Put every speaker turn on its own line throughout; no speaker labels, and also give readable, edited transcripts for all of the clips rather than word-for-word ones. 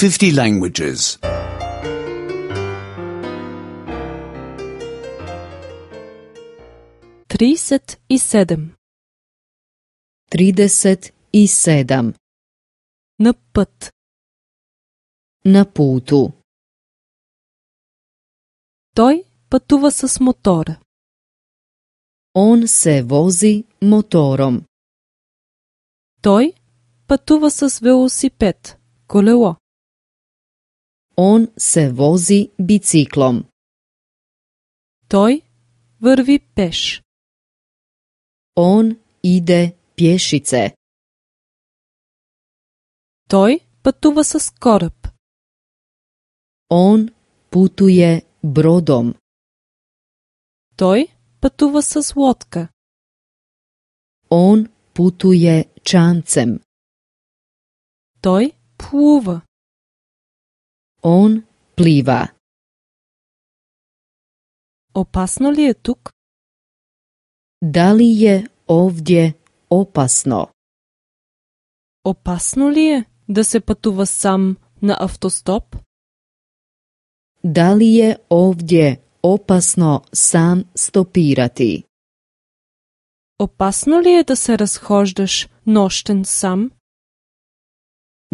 50 languages.
37.
37.
На път.
Na putu.
Той пътува с мотора.
On se vozi motorom.
Той пътува с велосипед, колело.
On se vozi biciklom.
Той върви пеш.
On ide pješice.
Той пътува с кораб.
On putuje brodom.
Той пътува с лодка.
On putuje čamcem.
Той плува.
On pliva.
Опасно ли е тук?
Da li je ovdje opasno?
Опасно ли е да се пътува сам на автостоп?
Da li je ovdje opasno sam stopirati?
Опасно ли е да се разхождаш нощен сам?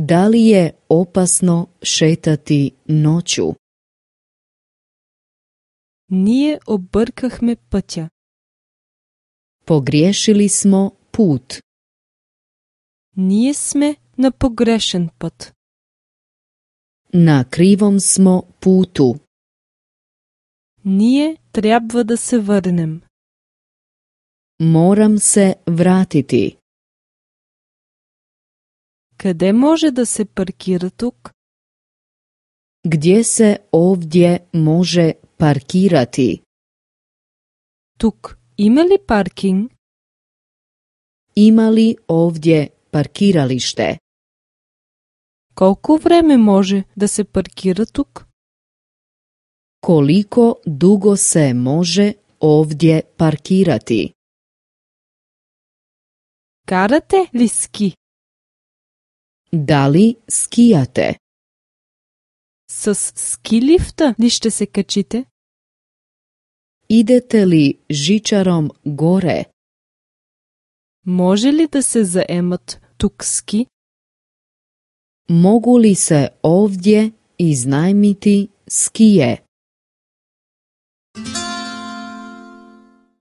Da li je opasno šetati noću?
Ние объркахме пътя.
Pogriješili smo put.
Ние сме на погрешен път.
Na krivom smo putu.
Ние трябва да се върнем.
Moram se vratiti.
Къде може да се паркира тук?
Gdje se ovdje može parkirati?
Тук има ли паркинг?
Ima li ovdje parkiralište?
Колко време може да се паркира тук?
Koliko dugo se može ovdje parkirati?
Карате ли ски?
Da li skijate?
С ски лифта ли ще се качите?
Idete li žičarom gore?
Може ли да се заемат тук ски?
Mogu li se ovdje iznajmiti skije?